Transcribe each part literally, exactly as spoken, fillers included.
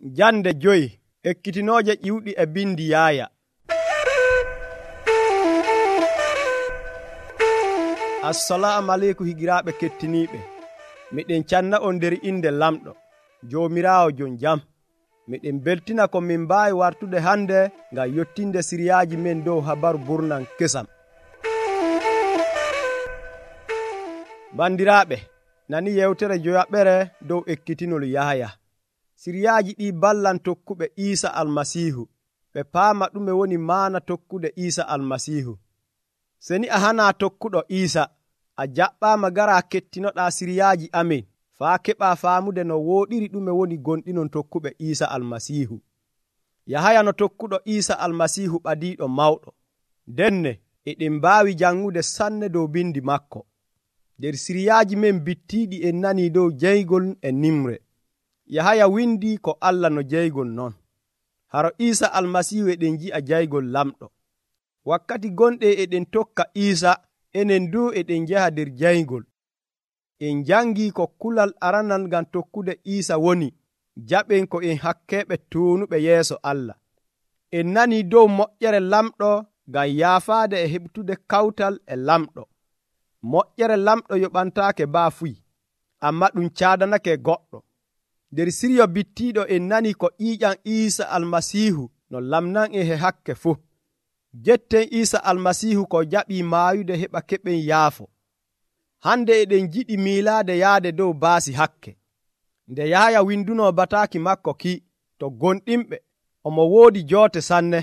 Jande joyi ekkitinooje ƴiwɗi e bindi Yaaya. Assalamu aleykum higiraaɓe kettiniiɓe. Miɗen canna on nder inde lamɗo Joomiraawo jon jam. Miɗen beltina ko min mbaawi wartude hande ngam yottinde siriyaaji men dow habaru burnan kesam. Bandiraaɓe, nani yewtere joyaɓere dow ekkitinol Yahaya. Siriyaaji ɗi ballan tokkuɓe Iisa Almasiihu ɓe paama ɗume woni maana tokkude Iisa Almasiihu. Seni a hana tokkuɗo Iisa, a jaɓɓaama gara kettinoɗaa siriyaaji amin faa keɓaa faamude no wooɗiri ɗume woni gonɗinon tokkuɓe Iisa Almasiihu. Yahaya no tokkuɗo Iisa Almasiihu ɓadiiɗo mawɗo. Denne eɗen mbaawi janŋude sanne dow bindi makko. Nder siriyaaji men bittiiɗi en nanii dow jeygol e nimre. Yahaya windi ko Allah no jeygol non. Haro Iisa Almasiihu eɗen ji'a jeygol lamɗo. Wakkati gonɗe eɗen tokka Iisa, enen du eɗen njaha nder jeygol. En jangii ko kulal aranal ngam tokkude Iisa woni jaɓen ko en hakkeeɓe tuunuɓe yeeso Allah. En nanii dow moƴƴere lamɗo ngam yaafaade e heɓtude kawtal e lamɗo. Moƴƴere lamɗo yoɓantaake baafuy, amma ɗum caadanake goɗɗo. Nder siryo bittiiɗo en nani ko ƴiiƴam Iisa Almasiihu no lamnan en he hakke fuu. Jetten Iisa Almasiihu ko jaɓii maayude heɓa keɓen yaafo. Hande eɗen jiɗi miilaade yaade dow baasi hakke. Nde Yahaya winduno bataaki makko ki to gonɗinɓe, omo woodi joote sanne,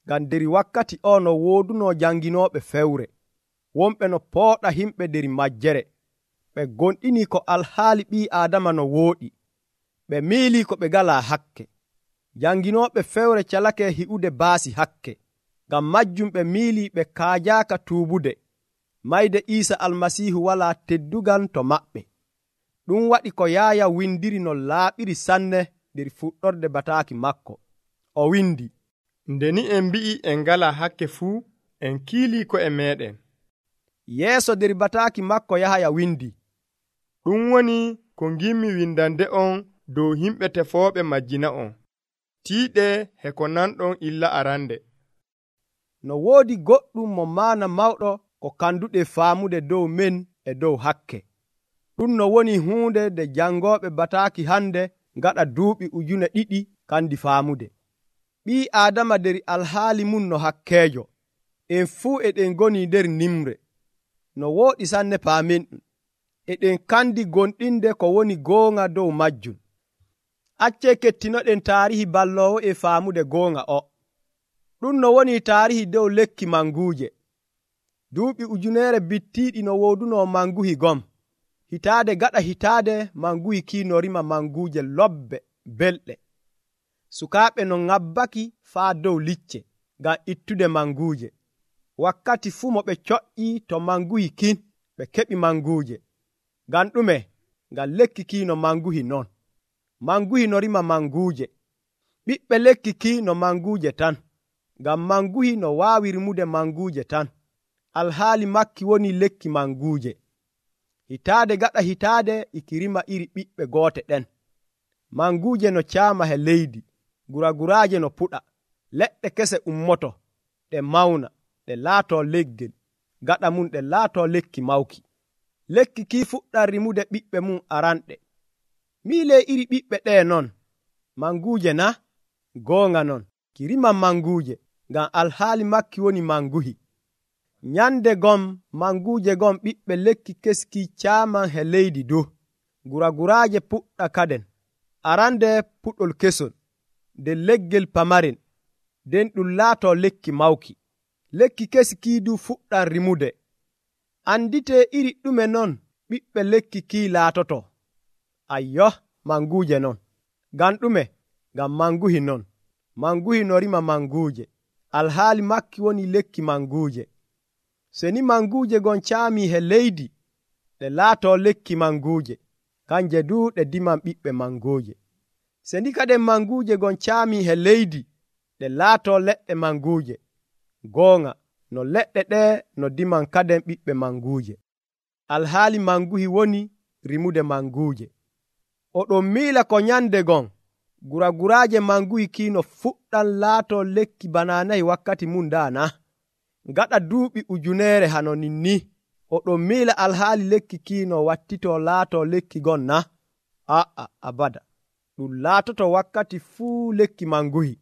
ngam nder wakkati o no wooduno janginooɓe fewre. Wonɓe no pooɗa himɓe nder majjere. Ɓe gonɗini ko alhaali ɓii Aadama no wooɗi. Ɓe miilii ko ɓe ngalaa hakke. Janginooɓe fewre calake hi'ude baasi hakke. Ngam majjum ɓe miilii ɓe kaajaaka tuubude. Mayde Iisa Almasiihu walaa teddugal to maɓɓe. Ɗum waɗi ko Yaaya windiri no laaɓiri sanne nder fuɗɗorde bataaki makko. O windi, nde ni en mbi'i en ngalaa hakke fuu, en kiilii ko'e meeɗen. Yeeso nder bataaki makko Yahaya windi, ɗum woni ko ngimmi windande on dow yimɓe tefooɓe majjina on. Tiiɗe he ko nanɗon illa arande. No woodi goɗɗum mo maana mawɗo ko kanduɗe faamude dow men e dow hakke. Ɗum no woni huunde nde jangooɓe bataaki hande ngaɗa duuɓi ujune ɗiɗi kandi faamude. Ɓii Aadama nder alhaali mum no hakkeejo. En fuu eɗen ngoni nder nimre. No wooɗi sanne paamen ɗum. Eɗen kandi gonɗinde ko woni goonga dow majjum. Accee kettinoɗen taarihi balloowo e faamude goonga o. Ɗum no woni taarihi dow lekki manguuje. Duuɓi ujuneere bittiiɗi no wooduno manguhi gom. Hitaade gaɗa hitaade manguhi kii rima manguuje lobbe belɗe. Sukaaɓe no ŋabbaki faa dow licce ngam ittude manguuje. Wakkati fuu mo ɓe coƴƴii to manguhi kin ɓe keɓi manguuje. Ngam ɗume? Ngam lekki kii no manguhi non. Manguhi no rima manguuje. Ɓiɓɓe lekki kii no manguuje tan. Ngam manguhi no waawi rimude manguuje tan. Alhaali makki woni lekki manguuje. Hitaade gaɗa hitaade iki rima iri ɓiɓɓe goote ɗen. Manguuje no caama he leydi. Guraguraaje no puɗa. Leɗɗe kese ummoto. Ɗe mawna. Ɗe laatoo leggel. Gaɗa mum ɗe laatoo lekki mawki. Lekki kii fuɗɗan rimude ɓiɓɓe mum aranɗe. Miilee iri ɓiɓɓe ɗee non. Manguuje na? Goonga non. Ki riman manguuje. Ngam alhaali makki woni manguhi. Nyande gom manguuje gom ɓiɓɓe lekki keski caaman he leydi dow. Guraguraaje puɗɗa kaden. Arande puɗol kesol. Nden leggel pamaren. Nden ɗum laatoo lekki mawki. Lekki keski du fuɗɗan rimude. Andite iri ɗume non ɓiɓɓe lekki kii laatoto. Ayyo, manguuje non. Ngam ɗume? Ngam manguhi non. Manguhi no rima manguuje. Alhaali makki woni lekki manguuje. Seni manguuje gon caamii he leydi, ɗe laatoo lekki manguuje. Kanje du ɗe diman ɓiɓɓe manguuje. Seni kaden manguuje gon caamii he leydi, ɗe laatoo leɗɗe manguuje. Goonga, no leɗɗe ɗe no diman kaden ɓiɓɓe manguuje. Alhaali manguhi woni rimude manguuje. Oɗon miila ko nyande gon guraguraaje manguhi kiino fuɗɗan laato lekki bananayi wakkati mum daana gaɗa duuɓi ujuneere hano ninni o ɗon miila alhaali lekki kiino wattito laato lekki gonna aa abada ɗum laatoto wakkati fuu lekki manguhi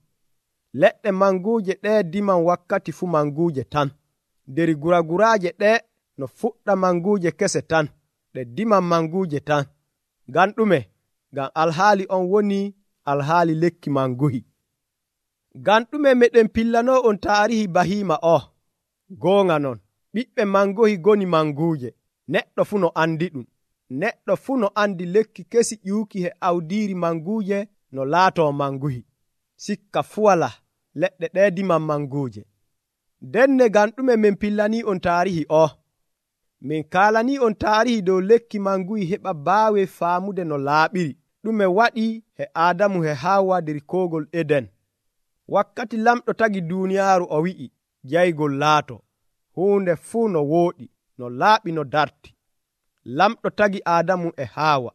leɗɗe manguuje ɗe diman wakkati fuu manguuje tan nder guraguraaje ɗe no fuɗɗa manguuje kese tan ɗe diman manguuje tan ngam ɗume ngam alhaali on woni alhaali lekki manguhi ngam ɗume meɗen pillano on taarihi bahiima o goonga non ɓiɓɓe mangohi goni manguuje neɗɗo fuu no andi ɗum neɗɗo fuu no andi lekki kesi ƴiwki he awdiiri manguuje no laato manguhi sikka fuu wala leɗɗe ɗe diman manguuje denne ngam ɗume min pillani on taarihi o min kaalani on taarihi dow lekki manguhi heɓa baawe faamude no laaɓiri ɗume waɗi he aadamu he haawa nder koogol eden wakkati lamɗo tagi duuniyaaru o wi'i jaygol laato huunde fuu no wooɗi no laaɓi no darti lamɗo tagi aadamu e haawa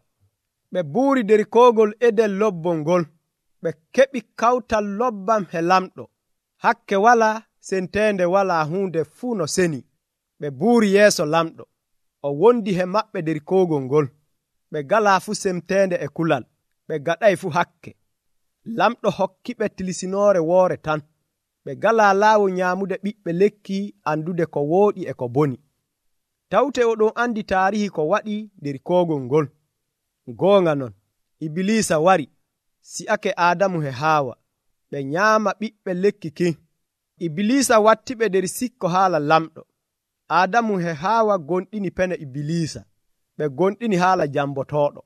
ɓe buuri nder koogol eden lobbol ngol ɓe keɓi kawtal lobbam he lamɗo hakke wala senteende wala huunde fuu no seni ɓe buuri yeeso lamɗo o wondi he maɓɓe nder koogol ngol ɓe galaa fuu semteende e kulal ɓe gaɗay fuu hakke lamɗo hokkiɓe tilisinoore woore tan ɓe galaa laawol nyaamude ɓiɓɓe lekki andude ko wooɗi e ko boni tawte oɗon andi taarihi ko waɗi nder koogol ngol goonga non ibilisa wari si'ake aadamu he haawa ɓe nyaama ɓiɓɓe lekki kin ibilisa wattiɓe nder sikko haala lamɗo aadamu he haawa gonɗini pene ibilisa ɓe gonɗini haala jambotooɗo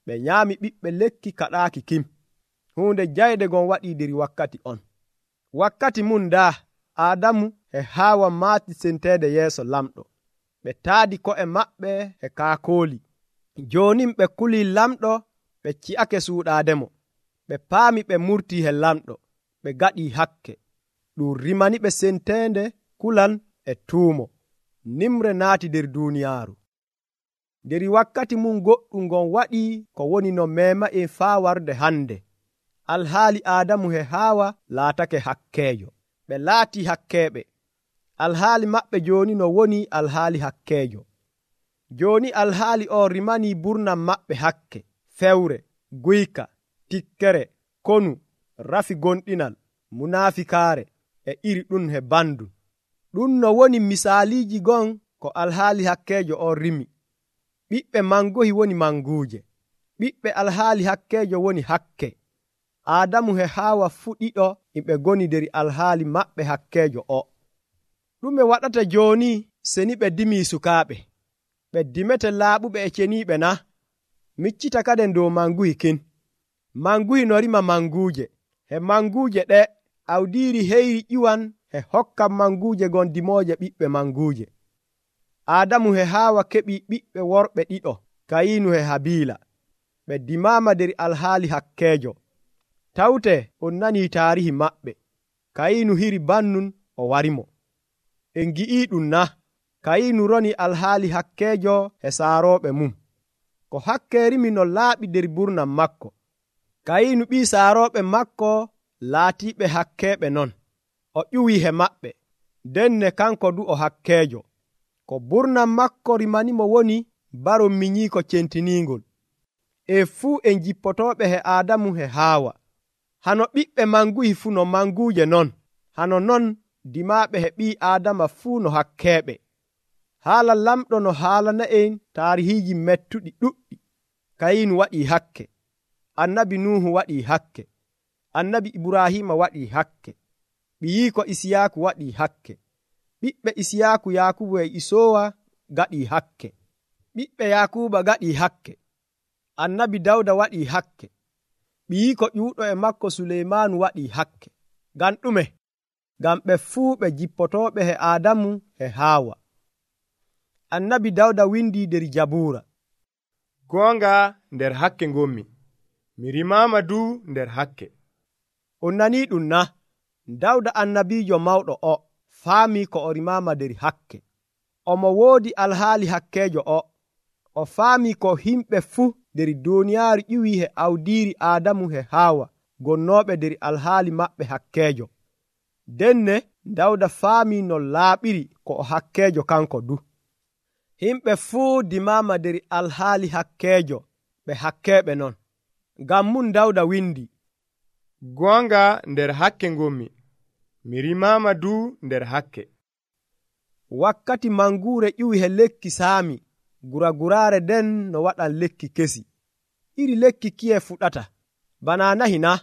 ɓe nyaami ɓiɓɓe lekki kaɗaaki kim huunde jayde gon waɗi nder wakkati on wakkati mum daa aadamu e haawa maati senteede yeeso lamɗo ɓe taadi ko'e maɓɓe e kaakooli joonin ɓe kulii lamɗo ɓe ci'ake suuɗaademo ɓe paami ɓe murtii he lamɗo ɓe gaɗii hakke ɗum rimani ɓe senteende kulan e tuumo nimre naati nder duuniyaaru nder wakkati mum goɗɗum ngon waɗi ko woni no meema en faa warde hannde alhaali aadamu he haawa laatake hakkeejo ɓe laatii hakkeeɓe alhaali maɓɓe jooni no woni alhaali hakkeejo jooni alhaali o rimanii burnam maɓɓe hakke fewre guyka tikkere konu rafi gonɗinal munaafikaare e iri ɗum he bandu ɗum no woni misaaliiji gon ko alhaali hakkeejo o rimi ɓiɓɓe mangohi woni manguuje ɓiɓɓe alhaali hakkeejo woni hakke aadamu he haawa fuu ɗiɗo yimɓe goni nder alhaali maɓɓe hakkeejo o ɗume waɗata jooni seni ɓe dimii sukaaɓe ɓe dimete laaɓuɓe e ceniiɓe na miccita kaden dow manguhi kin manguhi no rima manguuje he manguuje ɗe awdiiri heyri ƴiwan he hokkan manguuje gon dimooje ɓiɓɓe manguuje aadamu he haawa keɓi ɓiɓɓe worɓe ɗiɗo kayiinu he habiila ɓe dimaama nder alhaali hakkeejo tawte on nanii taarihi maɓɓe kayiinu hiri bannun o warimo en gi'ii ɗum na kayiinu roni alhaali hakkeejo he saarooɓe mum ko hakke rimi no laaɓi nder burnam makko kayiinu ɓii saarooɓe makko laatiiɓe hakkeeɓe non o ƴuwii he maɓɓe denne kanko du o hakkeejo ko burnam makko rimanimo woni baron minyiiko centiniingol e fuu en jippotooɓe he aadamu he haawa hano ɓiɓɓe manguhi fuu no manguuje non hano non dimaaɓe he ɓii aadama fuu no hakkeeɓe haala lamɗo no haalana en taarihiiji mettuɗi ɗuɗɗi kayiinu waɗii hakke annabi nuhu waɗii hakke annabi ibrahima waɗii hakke ɓiyiiko isiyaaku waɗii hakke ɓiɓɓe isiyaaku yaakubu e isowa gaɗii hakke ɓiɓɓe yaakuba gaɗii hakke annabi dawda waɗii hakke ɓiyiiko ƴuuɗo e makko suleymaanu waɗii hakke ngam ɗume ngam ɓe fuu ɓe jippotooɓe he aadamu he haawa annabi dawda windi nder jabuura goonga nder hakke ngommi mi rimaama du nder hakke on nanii ɗum na dawda annabiijo mawɗo o faami ko o rimaama nder hakke omo woodi alhaali hakkeejo o o faami ko himɓe fuu nder duuniyaaru ƴiwi he awdiiri aadamu he haawa gonnooɓe nder alhaali maɓɓe hakkeejo. Denne Dawda faamii no laaɓiri ko o hakkeejo kanko du. Himɓe fuu dimaama nder alhaali hakkeejo ɓe hakkeeɓe non. Ngam mum Dawda windi, goonga nder hakke ngommi, mi rimaama du nder hakke. Wakkati manguure ƴiwi he lekki saami, guraguraare nden no waɗan lekki kesi. Iri lekki kiye fuɗata, bana nahi na?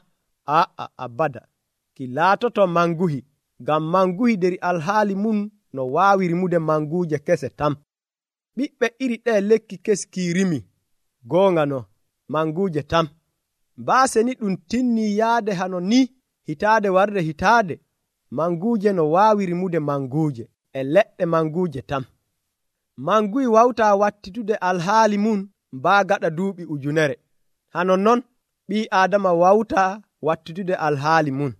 Aa, abada, ki laatoto manguhi, ngam manguhi nder alhaali mum no waawi rimude manguuje kese tam. Ɓiɓɓe iri ɗe lekki kesi ki rimi, goonga no, manguuje tam. Baase ni ɗum tinnii yaade hano ni hitaade warde hitaade, manguuje no waawi rimude manguuje e leɗɗe manguuje tam. Manguyi wawtaa wattitude alhaali mum mbaa gaɗa duuɓi ujunere. Hano non ɓii Aadama wawtaa wattitude alhaali mum.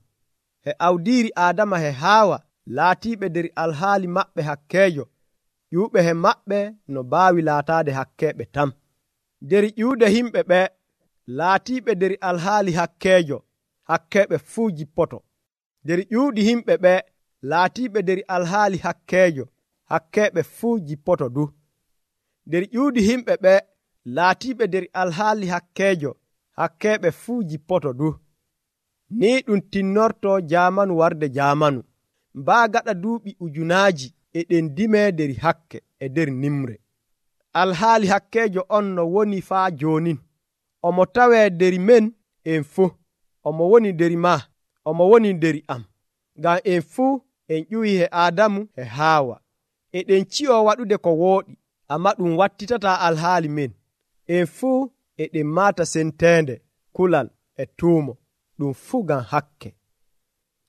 He awdiiri Aadama he Haawa laatiiɓe nder alhaali maɓɓe hakkeejo, ƴuuɓe he maɓɓe no baawi laataade hakkeeɓe tam. Nder ƴuuɗe himɓe ɓe laatiiɓe nder alhaali hakkeejo, hakkeeɓe fuu jippoto. Nder ƴuuɗi himɓe ɓe laatiiɓe nder alhaali hakkeejo, hakkeeɓe fuu jippoto du. Nder ƴuuɗi himɓe ɓe laatiiɓe nder alhaali hakkeejo, hakkeeɓe fuu jippoto du. Ni ɗum tinnorto jaamanu warde jaamanu. Mbaa gaɗa duuɓi ujunaaji e ɗen dimee nder hakke e nder nimre. Alhaali hakkeejo on no woni faa joonin. Omo tawee nder men en fuu. Omo woni nder maa, omo woni nder am. Ngam en fuu en ƴuwii he Aadamu he Haawa. Eɗen ci'oo waɗude ko wooɗi, ammaa ɗum wattitataa alhaali men. En fuu eɗen maata senteende, kulal e tuumo, ɗum fuu ngam hakke.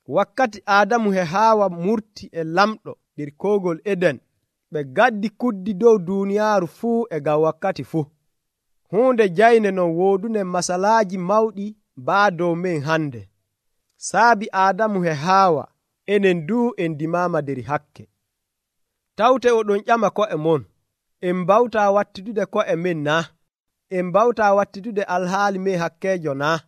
Wakkati Aadamu he Haawa murti e lamɗo nder koogol Eden, ɓe gaddi kuddi dow duuniyaaru fuu e ngam wakkati fuu. Huunde jayne non woodune masalaaji mawɗi baa dow men hande. Saabi Aadamu he Haawa, enen duu en dimaama nder hakke. Tawte oɗon ƴama ko'e mon, en mbawtaa wattitude ko'e men naa? En mbawtaa wattitude alhaali men hakkeejo naa?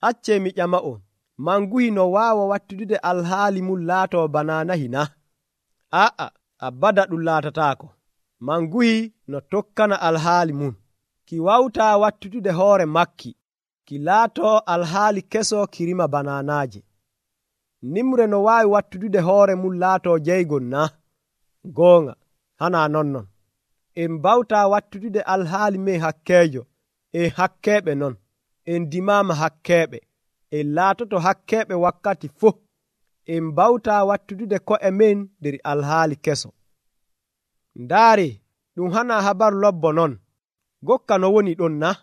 Accee mi ƴama'on, manguhi no waawa wattitude alhaali mum laatoo bana nahi naa? Aa, abada ɗum laatataako. Manguhi no tokkana alhaali mum. Ki wawtaa wattitude hoore makki, ki laatoo alhaali keso ki rima bananaaje. Nimre no waawi wattitude hoore mum laatoo jeygol naa? Goonga, hana nonnon. En mbawtaa wattitude alhaali men hakkeejo, en hakkeeɓe non. En dimaama hakkeeɓe, en laatoto hakkeeɓe wakkati fof. En mbawtaa wattitude ko'e men nder alhaali keso. Ndaare, ɗum hana habaru lobbo non. Gokka no woni ɗon na?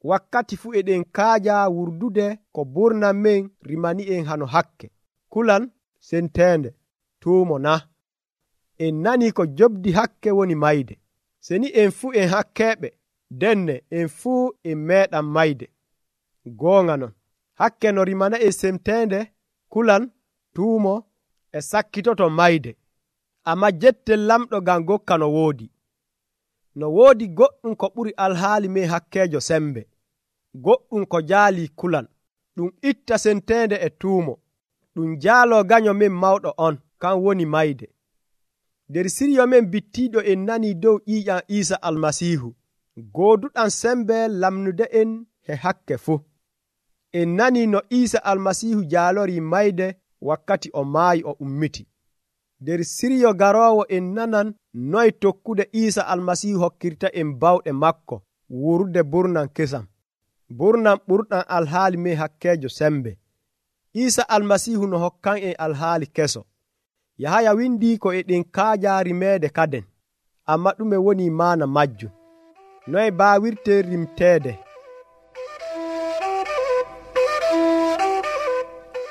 Wakkati fuu eɗen kaaja wurdude ko burnan men rimani en hano hakke, kulan, senteende, tuumo na? En nani ko jobdi hakke woni mayde. Seni en fuu en hakkeeɓe, denne en fuu en meeɗan mayde. Goonga non, hakke no rimana en senteende, kulan, tuumo e sakkitoto mayde. Amma jettel lamɗo ngam gokka no woodi. No woodi goɗɗum ko ɓuri alhaali men hakkeejo sembe. Goɗɗum ko jaalii kulan, ɗum itta senteende e tuumo. Ɗum jaaloo ganyo men mawɗo on, kan woni mayde. Nder siryo men bittiiɗo en nanii dow ƴiiƴam Iisa Almasiihu, gooduɗam sembe lamnude en he hakke fuu. En nanii no Iisa Almasiihu jaalorii mayde wakkati o maayi o ummiti. Nder siryo garoowo en nanan noy tokkude Iisa Almasiihu hokkirta en bawɗe makko wuurde burnan kesam, burnan ɓurɗan alhaali men hakkeejo sembe. Iisa Almasiihu no hokkan en alhaali keso. Yahaya windii ko eɗen kaaja rimeede kaden, amma ɗume woni maana majjum? Noy baawirte rimteede?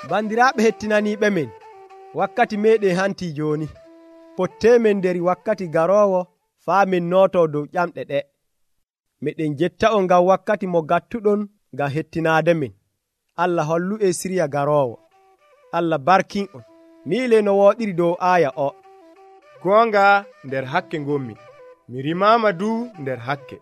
Bandiraaɓe hettinaniiɓe men, wakkati meeɗen hantii jooni. Potteemen nder wakkati garoowo faa min nootoo dow ƴamɗe ɗe. Meɗen jetta'on ngam wakkati mo gattuɗon ngam hettinaade men. Allah hollu e siriya garoowo. Allah barkin'on. Miile no wooɗiri dow aaya o. Goonga nder hakke ngommi, mi rimaama du nder hakke.